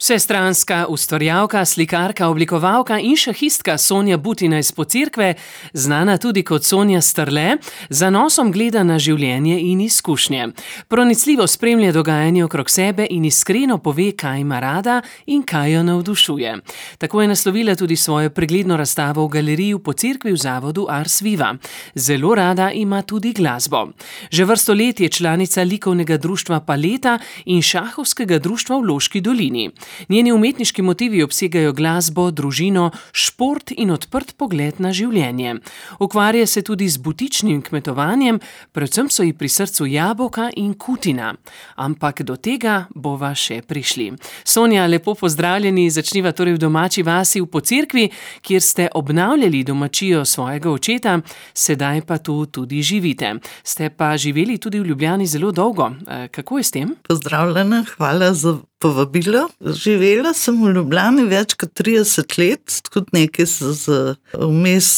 Vsestranska ustvarjalka, slikarka, oblikovalka in šahistka Sonja Butina iz Pocerkve, znana tudi kot Sonja Strle, z zanosom gleda na življenje in izkušnje. Pronicljivo spremlja dogajanje okrog sebe in iskreno pove, kaj ima rada in kaj jo navdušuje. Tako je naslovila tudi svojo pregledno razstavo v galeriji v Pocerkvi v zavodu Ars Viva. Zelo rada ima tudi glasbo. Že vrsto let je članica likovnega društva Paleta in šahovskega društva v Loški dolini. Njeni umetniški motivi obsegajo glasbo, družino, šport in odprt pogled na življenje. Ukvarja se tudi z butičnim kmetovanjem, predvsem so ji pri srcu jabolka in kutina. Ampak do tega bova še prišli. Sonja, lepo pozdravljeni, začniva torej v domači vasi v Pocerkvi, kjer ste obnavljali domačijo svojega očeta, sedaj pa tu tudi živite. Ste pa živeli tudi v Ljubljani zelo dolgo. Kako je s tem? Pozdravljena, hvala za povabilo. Živela sem v Ljubljani več kot 30 let, tudi nekaj vmes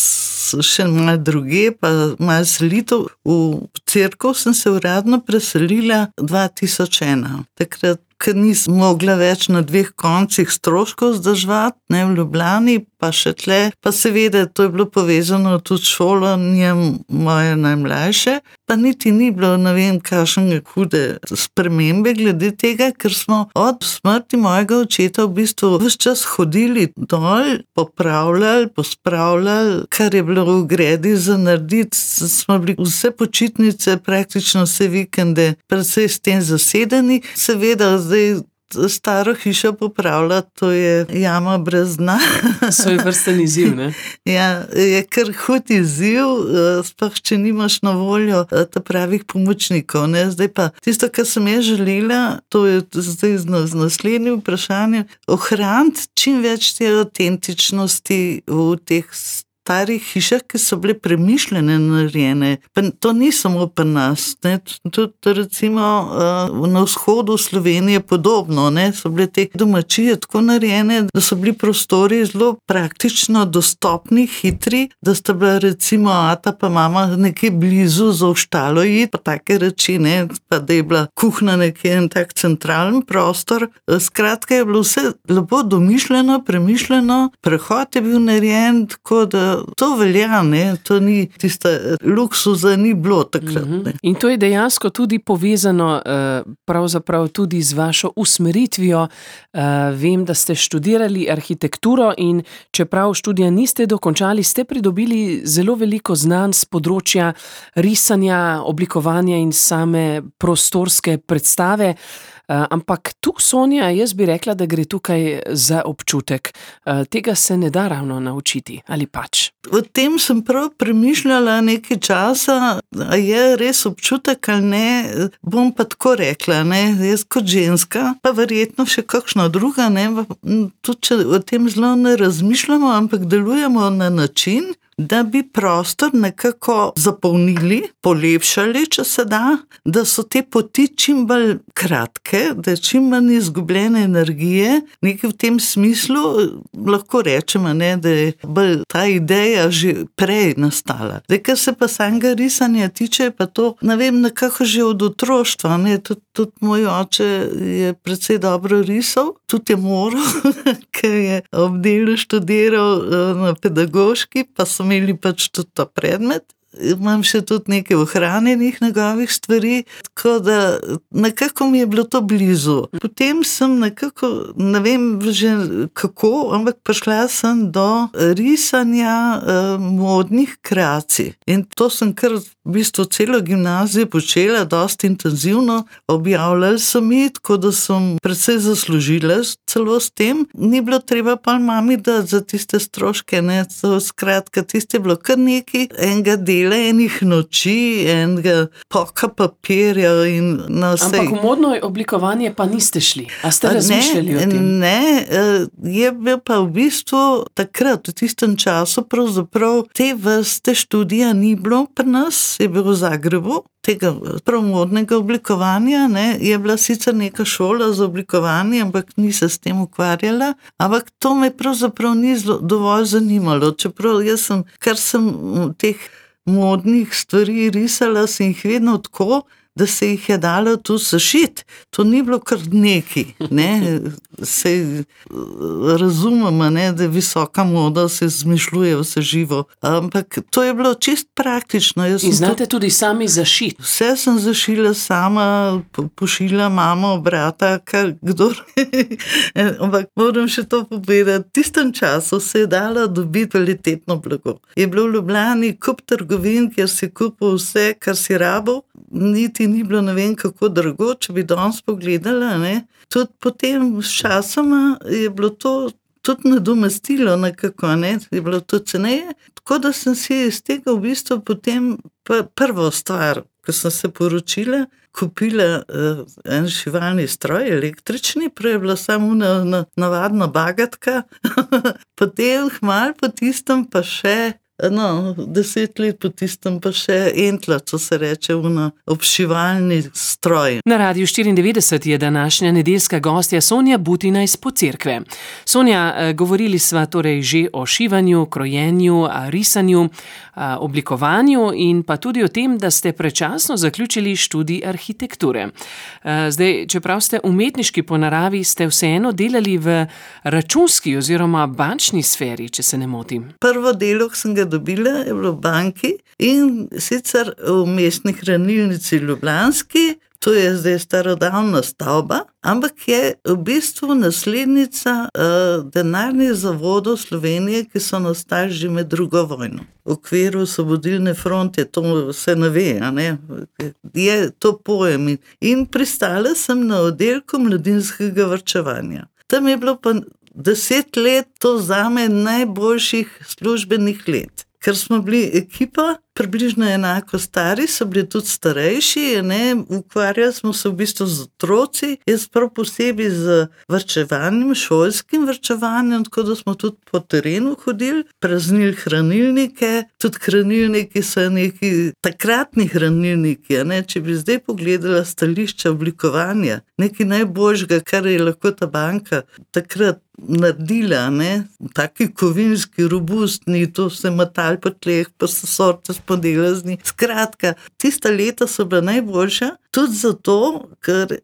še malo druge, pa malo selitev. V Cerkev sem se uradno preselila 2001. Takrat, ker nisem mogla več na dveh koncih stroškov zdrževati, ne v Ljubljani, pa še tle. Pa seveda, to je bilo povezano tudi s šolanjem moje najmlajše, pa niti ni bilo, ne vem, kakšne hude spremembe glede tega, ker smo od smrti mojega očeta v bistvu ves čas hodili dol, popravljali, pospravljali, kar je bilo v gredi za narediti. Smo bili vse počitnice, praktično vse vikende, predvsej s tem zasedeni. Seveda, zdaj staro hišo popravljati, to je jama brez dna. Svoj vrsten izziv, ne? Ja, je kar hud izziv, sploh če nimaš na voljo ta pravih pomočnikov, ne? Zdaj pa tisto, kar sem jaz želela, to je zdaj z naslednjim vprašanjem, ohraniti čim več te avtentičnosti v teh starih hišah, ki so bile premišljene, narejene. Pa to ni samo pri nas, ne? Tudi recimo na vzhodu Slovenije podobno, ne? So bile te domačije tako narejene, da so bili prostori zelo praktično dostopni, hitri, da sta bila recimo ata pa mama nekje blizu za v štalo iti, pa take reči, ne? Pa da je bila kuhna nekje en tak centralen prostor. Skratka je bilo vse lepo domišljeno, premišljeno, prehod je bil narejen tako, da to velja, ne? To ni tista luksuza, ni bilo takrat. Ne? In to je dejansko tudi povezano pravzaprav tudi z vašo usmeritvijo. Vem, da ste študirali arhitekturo in čeprav študija niste dokončali, ste pridobili zelo veliko znanj s področja risanja, oblikovanja in same prostorske predstave. Ampak tu, Sonja, jaz bi rekla, da gre tukaj za občutek. Tega se ne da ravno naučiti, ali pač? O tem sem prav premišljala nekaj časa, a je res občutek ali ne, bom pa tako rekla, ne, jaz kot ženska, pa verjetno še kakšna druga, ne, tudi če o tem zelo ne razmišljamo, ampak delujemo na način, da bi prostor nekako zapolnili, polepšali, če se da so te poti čim bolj kratke, da je čim manj izgubljene energije, nekaj v tem smislu, lahko rečemo, ne, da je bolj ta ideja že prej nastala. Zdaj, kar se pa samega risanja tiče, pa to, ne vem, nekako že od otroštva, ne, tudi moj oče je precej dobro risal, tudi je moral, ker je ob delu študiral na pedagoški, pa so imeli pač tudi ta predmet. Imam še tudi nekaj ohranjenih njegovih stvari, tako da nekako mi je bilo to blizu. Potem sem nekako, ne vem že kako, ampak prišla sem do risanja modnih kreacij. In to sem kar v bistvu celo gimnazijo počela, dosti intenzivno, objavljali so mi, tako da sem precej zaslužila celo s tem. Ni bilo treba pa mami dati za tiste stroške, ne, skratka, tiste je bilo kar nekaj enega dela, enih noči, enega poka papirja in na vse. Ampak v modno oblikovanje pa niste šli. A ste razmišljali o tem? Ne, je bil pa v bistvu takrat, v tistem času, pravzaprav te vrste študija ni bilo pri nas, je bil v Zagrebu, tega modnega oblikovanja, ne, je bila sicer neka šola za oblikovanje, ampak ni se s tem ukvarjala, ampak to me pravzaprav ni dovolj zanimalo, čeprav jaz sem, kar sem teh modnih stvari risala, sem jih vedno tako, da se jih je dalo tu zašiti. To ni bilo kar neki, ne. Se razumemo, ne, da je visoka moda, se izmišljuje vse živo, ampak to je bilo čist praktično. In znate tudi sami zašiti? Vse sem zašila sama, pošila mamo, brata, kdor. Ampak moram še to povedati, v tistem času se je dalo dobiti kvalitetno blago. Je bilo v Ljubljani kup trgovin, kjer si kupil vse, kar si rabil, niti ni bilo ne vem kako drago, če bi danes pogledala, ne. Tudi potem s časoma je bilo to tudi nadomestilo nekako, ne, je bilo to ceneje, tako da sem si iz tega v bistvu potem prvo stvar, ko sem se poročila, kupila en šivalni stroj, električni, prej je bila samo navadna bagatka, potem malo po tistem pa še, 10 let po tistem pa še entla, co se reče, obšivalni stroj. Na Radiu 94 je današnja nedeljska gostja Sonja Butina iz Pocerkve. Sonja, govorili sva torej že o šivanju, krojenju, risanju, oblikovanju in pa tudi o tem, da ste predčasno zaključili študij arhitekture. Zdaj, čeprav ste umetniški po naravi, ste vseeno delali v računski oziroma bančni sferi, če se ne motim. Prvo delo, ki sem ga dobila, je bilo v banki in sicer v mestni hranilnici Ljubljanski, to je zdaj starodavna stavba, ampak je v bistvu naslednica denarnih zavodov Slovenije, ki so nastali že med drugo vojno. V okviru Osvobodilne fronte, to se ne ve, a ne, je to pojem. In pristala sem na oddelku mladinskega varčevanja. Tam je bilo pa 10 let to zame najboljših službenih let. Ker smo bili ekipa, približno enako stari, so bili tudi starejši, ne, ukvarjali smo se v bistvu z otroci, jaz prav posebej z varčevanjem, šolskim varčevanjem, tako da smo tudi po terenu hodili, praznili hranilnike, tudi hranilniki so neki takratni hranilniki, ne, če bi zdaj pogledala stališča oblikovanja, nekaj najboljšega, kar je lahko ta banka takrat naredila, ne, taki kovinski, robustni, to se matali po tleh, pa so sorte spodelazni. Skratka, tista leta so bila najboljša, tudi zato, ker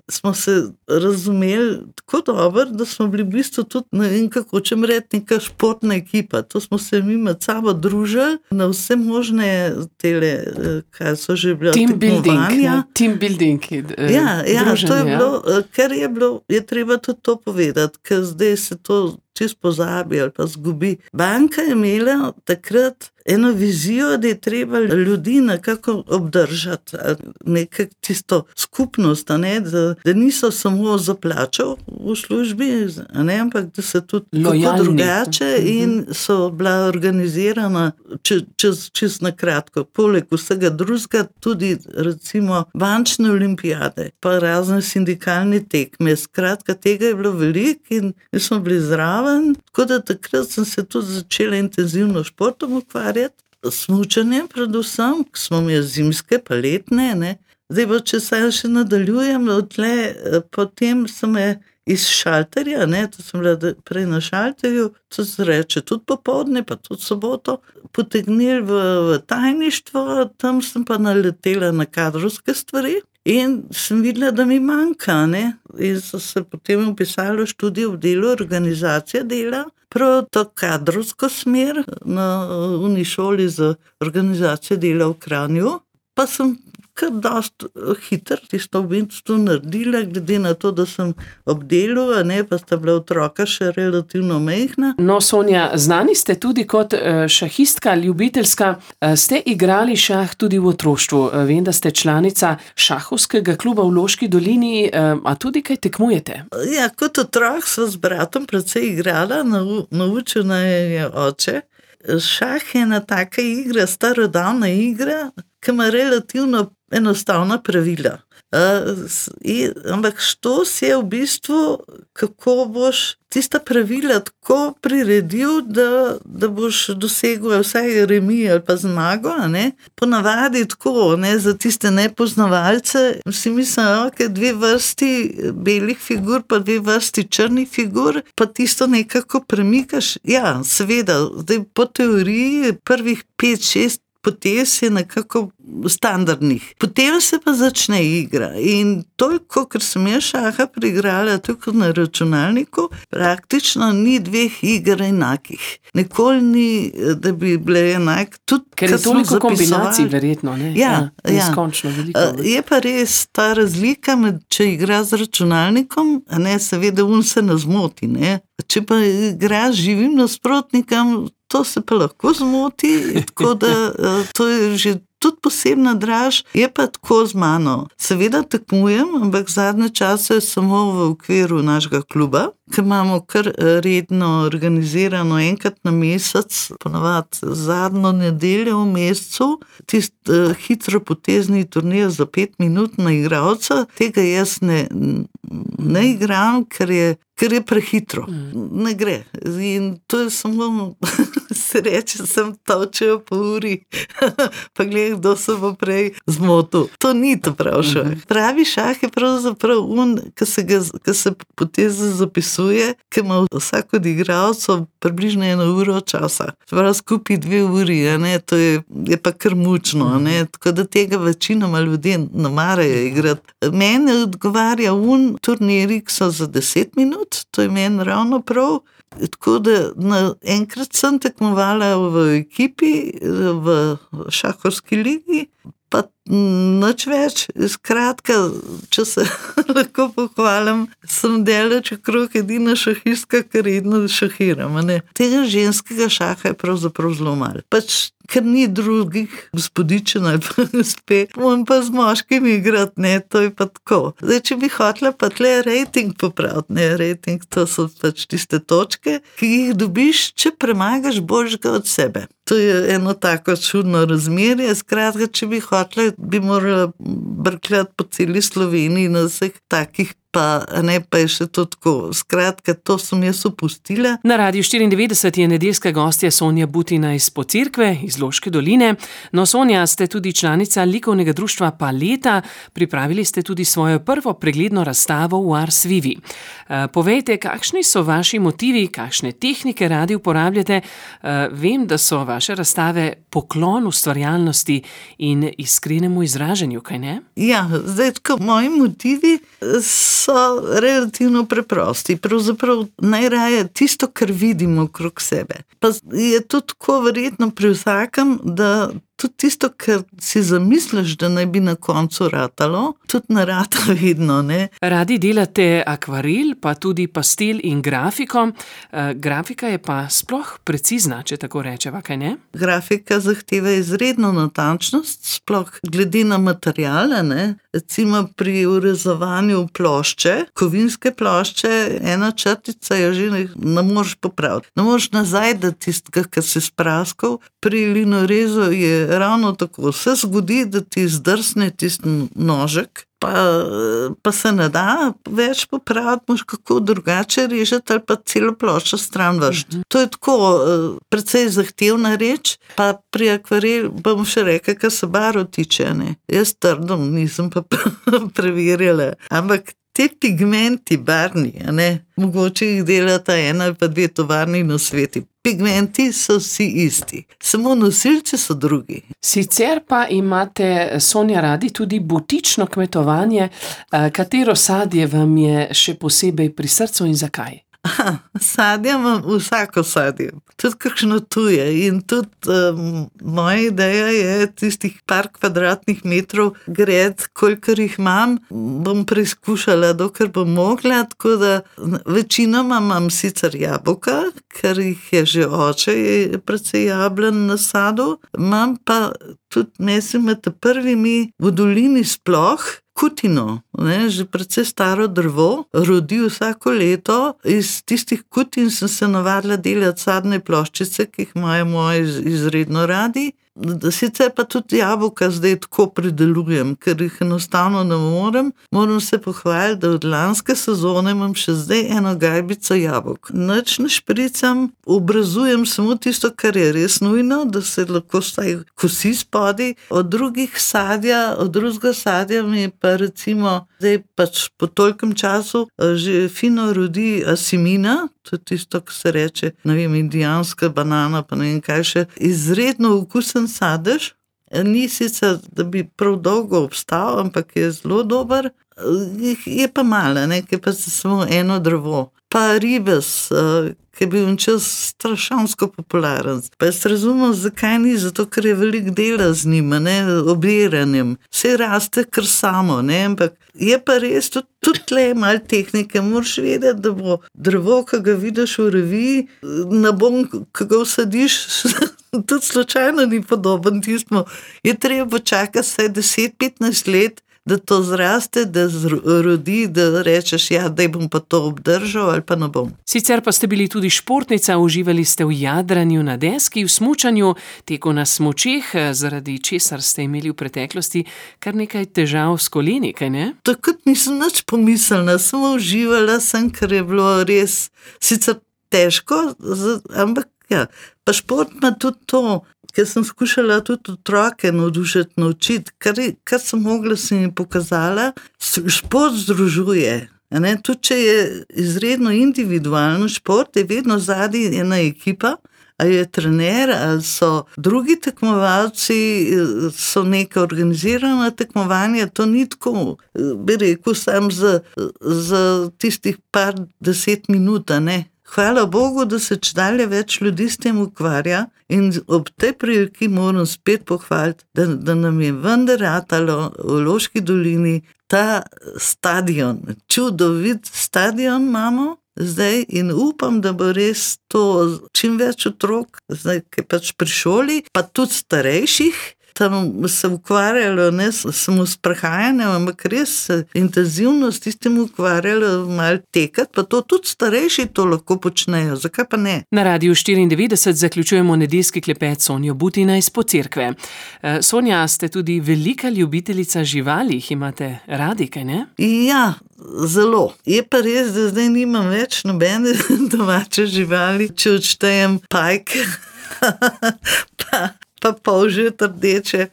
smo se razumeli tako dobro, da smo bili v bistvu tudi, ne vem kako čem reči, neka športna ekipa. To smo se mi med sabo družili na vse možne tele, kaj so že bila tekmovanja. Team building. Ja, to je bilo, ker je bilo, je treba tudi to povedati, ker zdaj se to čisto pozabi ali pa zgubi. Banka je imela takrat eno vizijo, da je treba ljudi nekako obdržati, nekaj tisto skupnost, ne, da niso samo za plačo v službi, ne, ampak da se tudi kako drugače in so bila organizirana čez na kratko. Poleg vsega drugega tudi recimo bančne olimpijade, pa razne sindikalne tekme. Skratka, tega je bilo veliko in mi smo bili zraven, tako da takrat sem se tudi začela intenzivno športom ukvarjati, smučanjem predvsem, smo imeli zimske pa letne, ne. Zdaj pa, če se še nadaljujem, potem sem iz šalterja, ne, to sem bila prej na šalterju, to se reče tudi popoldne, pa tudi soboto, potegnili v tajništvo, tam sem pa naletela na kadrovske stvari in sem videla, da mi manjka, ne, in so se potem vpisala študij v delu organizacije dela, prav to kadrovsko smer na šoli za organizacijo dela v Kranju, pa sem kar dosti hitro tisto v bistvu naredila, glede na to, da sem ob delu, a ne, pa sta bila otroka še relativno majhna. No, Sonja, znani ste tudi kot šahistka, ljubiteljska. Ste igrali šah tudi v otroštvu. Vem, da ste članica šahovskega kluba v Loški dolini, a tudi kaj tekmujete? Ja, kot otrok sva z bratom precej igrala, naučil naj je oče. Šah je ena taka igra, starodavna igra, ki ima relativno enostavna pravila. Ampak štos je v bistvu, kako boš tista pravila tako priredil, da boš dosegel vsaj remi ali pa zmago, ne. Ponavadi tako, ne, za tiste nepoznavalce, si mislim, ok, 2 vrsti belih figur, pa 2 vrsti črnih figur, pa tisto nekako premikaš. Ja, seveda, zdaj po teoriji prvih 5-6 potez je nekako standardnih. Potem se pa začne igra in toliko, ker sem jaz šaha preigrala tako na računalniku, praktično ni dveh iger enakih. Nikoli ni, da bi bile enak. Tudi, ker je toliko kombinacij verjetno, ne? Ja. Neskončno veliko. Je pa res ta razlika med, če igra z računalnikom, a ne, seveda se ne zmoti, ne. Če pa igra z živim nasprotnikom, to se pa lahko zmoti, tako da to je že tudi posebna draž, je pa tako z mano. Seveda tekmujem, ampak zadnje čase samo v okviru našega kluba, ker imamo kar redno organizirano enkrat na mesec, ponavadi zadnjo nedeljo v mesecu, hitro potezni turnir za 5 minut na igralca. Tega jaz ne igram, ker je prehitro. Ne gre. In to je samo, se reče, sem točil po uri, pa gledaj, kdo se bo prej zmotil. To ni to prav šah. Pravi šah je pravzaprav ki se poteze zapisuje, ki ima vsak od igralcev približno 1 uro časa. Prav skupaj 2 uri, ne? To je pa kar mučno, ne? Tako da tega večinoma ljudje ne marajo igrati. Meni odgovarja turniri, ki so za 10 minut, to je meni ravno prav. Tako da enkrat sem tekmovala v ekipi, v šahovski ligi, pa nič več. Skratka, če se lahko pohvalim, sem daleč okrog edina šahistka, ki redno šahiram. Tega ženskega šaha je pravzaprav zelo malo. Ker ni drugih gospodičen ali pa gospe, moram pa z moškimi igrati, ne, to je pa tako. Zdaj, če bi hotela pa tle rating popraviti, ne, rating, to so pač tiste točke, ki jih dobiš, če premagaš boljšega od sebe. To je eno tako čudno razmerje, skratka, če bi hotela, bi morala brkljati po celi Sloveniji na vseh takih, pa je še to tako. Skratka, to sem jaz opustila. Na Radiu 94 je nedeljska gostja Sonja Butina iz Pocirkve, iz Loške doline. No, Sonja, ste tudi članica likovnega društva Paleta, pripravili ste tudi svojo prvo pregledno razstavo v Ars Vivi. Povejte, kakšni so vaši motivi, kakšne tehnike radi uporabljate? Vem, da so vaše razstave poklon ustvarjalnosti in iskrenemu izražanju, kaj ne? Ja, zdaj tako, moji motivi so relativno preprosti. Pravzaprav najraje tisto, kar vidimo okrog sebe. Pa je tudi tako verjetno pri vsakem, da tudi tisto, kar si zamisliš, da naj bi na koncu ratalo, tudi ne rata vedno, ne. Radi delate akvarel, pa tudi pastel in grafiko. Grafika je pa sploh precizna, če tako rečeva, kaj ne? Grafika zahteva izredno natančnost, sploh glede na materiale, ne. Recimo pri urezovanju plošče, kovinske plošče, ena črtica je že ne moreš popraviti. Ne moreš nazaj dati tistega, kar si spraskal. Pri linorezu je ravno tako. Se zgodi, da ti zdrsne tisti nožek, pa se ne da več popraviti, moš kako drugače režeti ali pa celo ploščo stran vršiti. To je tako precej zahtevna reč, pa pri akvarel bom še rekla, kar se barv tiče, ne. Jaz trdim, nisem pa preverjala, ampak te pigmenti barvni, ne, mogoče jih delata 1 ali pa 2 tovarni na svetu. Pigmenti so vsi isti, samo nosilci so drugi. Sicer pa imate, Sonja, radi tudi butično kmetovanje. Katero sadje vam je še posebej pri srcu in zakaj? Sadje imam vsako sadje, tudi kakšno tuje in tudi moja ideja je tistih par kvadratnih metrov gred, kolikor jih imam, bom preizkušala, dokler bom mogla, tako da večinoma imam sicer jabolka, ker jih je že oče, je precej jablen na sadu, imam pa tudi, mislim, med prvimi v dolini sploh, kutino, ne, že precej staro drvo, rodi vsako leto. Iz tistih kutin sem se navadila delati sadne ploščice, ki jih imajo moji izredno radi. Sicer pa tudi jabolka zdaj tako pridelujem, ker jih enostavno ne morem. Moram se pohvaliti, da od lanske sezone imam še zdaj 1 gajbico jabolk. Nič ne špricam, obrazujem samo tisto, kar je res nujno, da se lahko vsaj kosi spodaj. Od drugega sadja mi pa recimo zdaj pač po tolikem času že fino rodi asimina, to je tisto, ko se reče, ne vem, indijanska banana, pa ne vem kaj še, izredno okusen sadež. Ni sicer, da bi prav dolgo obstal, ampak je zelo dober. Je pa malo, ne, ki pa samo eno drevo. Pa ribes, ki je bil čas strašansko popularen. Pa jaz razumem, zakaj ni, zato ker je veliko dela z njima, ne, obiranjem. Vse raste kar samo, ne, ampak je pa res, tudi tle je malo tehnike, moraš vedeti, da bo drevo, ki ga vidiš v reviji, nabom, ki ga vsadiš, tudi slučajno ni podoben tistmu. Je treba počakati vsaj 10-15 let, da to zraste, da rodi, da rečeš, ja, daj bom pa to obdržal ali pa ne bom. Sicer pa ste bili tudi športnica, uživali ste v jadranju na deski, v smučanju, teku na smučeh, zaradi česar ste imeli v preteklosti kar nekaj težav s koleni, kaj ne? Takrat nisem nič pomislila, samo uživala sem, ker je bilo res sicer težko, ampak ja, pa šport ima tudi to, ker sem skušala tudi otroke navdušiti, naučiti, kar sem mogla, sem jim pokazala, šport združuje. Tudi če je izredno individualno šport, je vedno zadaj ena ekipa, ali je trener, ali so drugi tekmovalci, so neka organizirana tekmovanja, to ni tako, bi rekel, sam za tistih par 10 minut, ne. Hvala Bogu, da se čedalje več ljudi s tem ukvarja in ob tej priliki moram spet pohvaliti, da nam je vendar ratalo v Loški dolini ta stadion. Čudovit stadion imamo zdaj in upam, da bo res to čim več otrok, zdaj, ki pač pri šoli, pa tudi starejših, tam se ukvarjalo, ne samo s prehajanjem, ampak res intenzivno s tistim ukvarjalo, malo tekati, pa to tudi starejši to lahko počnejo, zakaj pa ne? Na Radiu 94 zaključujemo nedeljski klepet s Sonjo Butina iz Pocirkve. Sonja, ste tudi velika ljubiteljica živali, jih imate radi, kaj ne? Ja, zelo. Je pa res, da zdaj nimam več nobene domače živali, če odštejem pajke, pa polžet rdeče,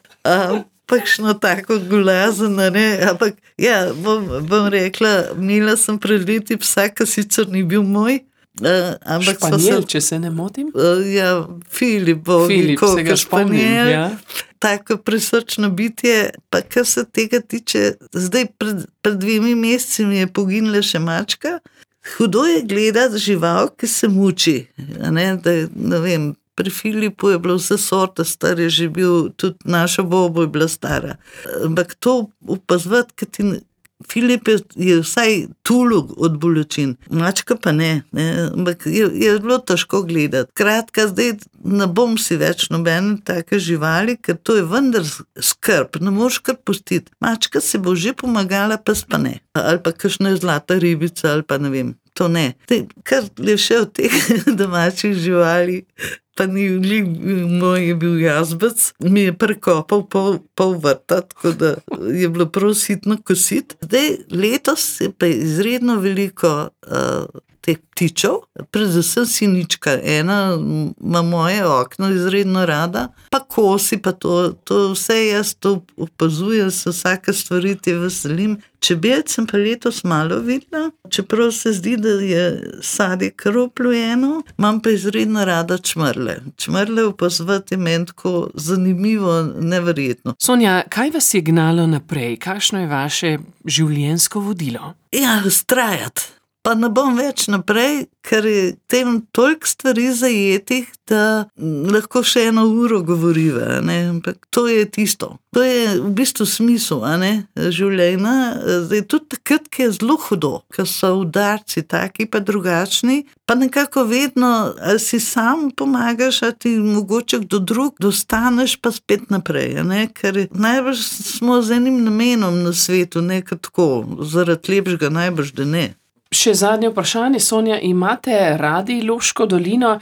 pakšno tako gulazeno, ne, ampak ja, bom rekla, imela sem pred leti psa, ki sicer ni bil moj, ampak Španjel, če se ne motim? Ja, Filip, koliko španjel, ja. Tako prisrčno bitje, pa kar se tega tiče, zdaj pred 2 meseci mi je poginila še mačka, hudo je gledati žival, ki se muči, ne vem, pri Filipu je bilo vse sorte, star je že bil, tudi naša Bobo je bila stara. Ampak to opazovati, ker ti Filip je vsaj tulug od bolečin, mačka pa ne, ampak je bilo težko gledati. Kratka, zdaj ne bom si več nobene take živali, ker to je vendar skrb, ne moreš kar pustiti. Mačka se bo že pomagala, pes pa ne. Ali pa kakšna zlata ribica, ali pa ne vem, to ne. Kar je še od teh domačih živali, pa ni moj je bil jazbec, mi je prekopal pol vrta, tako da je bilo prav sitno kositi. Zdaj, letos je pa izredno veliko teh ptičev, predvsem sinička, ena ima moje okno izredno rada, pa kosi, pa to vse jaz to opazujem, se vsake stvari te veselim. Čebelc sem pa letos malo videla, čeprav se zdi, da je sadje kar oplojeno, imam pa izredno rada čmrle. Čmrle opazovati je meni tako zanimivo, neverjetno. Sonja, kaj vas je gnalo naprej? Kakšno je vaše življenjsko vodilo? Ja, vztrajati. Pa ne bom več naprej, ker je tem toliko stvari zajetih, da lahko še 1 uro govoriva, ne, ampak to je tisto. To je v bistvu smisel, življenja. Zdaj, tudi takrat, ki je zelo hudo, ker so udarci taki pa drugačni, pa nekako vedno, ali si sam pomagaš, ali ti mogoče kdo drug, dostaneš pa spet naprej, ker najbrž smo z enim namenom na svetu, nekaj tako, zaradi lepšega najbrž, da ne. Še zadnje vprašanje, Sonja, imate radi Loško dolino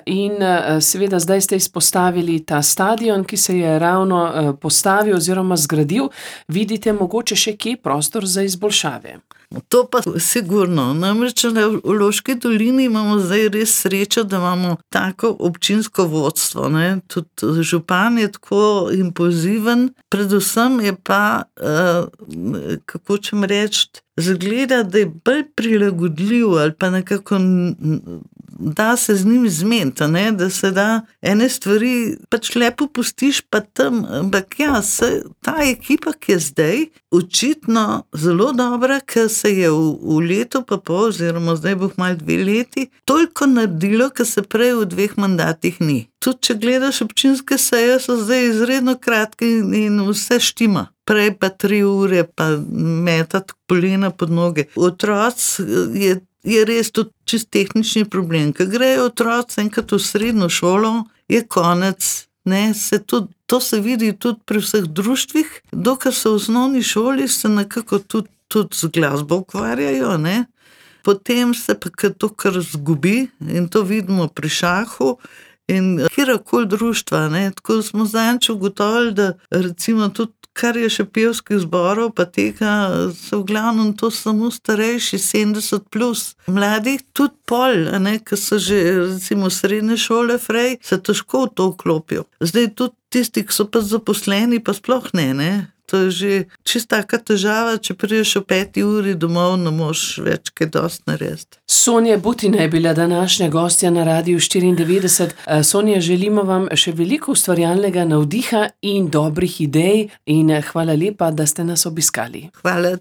in seveda zdaj ste izpostavili ta stadion, ki se je ravno postavil oziroma zgradil. Vidite mogoče še kje prostor za izboljšave? To pa sigurno. Namreč v Loški dolini imamo zdaj res srečo, da imamo tako občinsko vodstvo. Tudi župan je tako impulziven. Predvsem je pa, kako čem reči, zgleda, da je bolj prilagodljiv ali pa nekako da se z njim zmeniti, da se da ene stvari pač lepo pustiš pa tam, ampak ja, ta ekipa, ki je zdaj očitno zelo dobra, ker se je v letu pa pol, oziroma zdaj bo malo 2 leti, toliko naredilo, ker se prej v 2 mandatih ni. Tudi če gledaš občinske seje, so zdaj izredno kratke in vse štima. Prej pa 3 ure, pa metati polena pod noge. Otroci je res tudi čist tehnični problem. Ko grejo otroci enkrat v srednjo šolo, je konec. To se vidi tudi pri vseh društvih. Dokler so v osnovni šoli, se nekako tudi z glasbo ukvarjajo, Potem se pa to kar zgubi in to vidimo pri šahu in kjerkoli društva. Tako smo zadnjič ugotovili, da recimo tudi kar je še pevskih zborov, pa tega so v glavnem to samo starejši, 70+. Mladih tudi pol, ki so že recimo srednje šole frej, se težko v to vklopijo. Zdaj tudi tisti, ki so pa zaposleni, pa sploh ne. To je že čista taka težava, če prideš o 5 uri domov, ne moš več kaj dosti narediti. Sonja Butina je bila današnja gostja na Radiu 94. Sonja, želimo vam še veliko ustvarjalnega navdiha in dobrih idej in hvala lepa, da ste nas obiskali. Hvala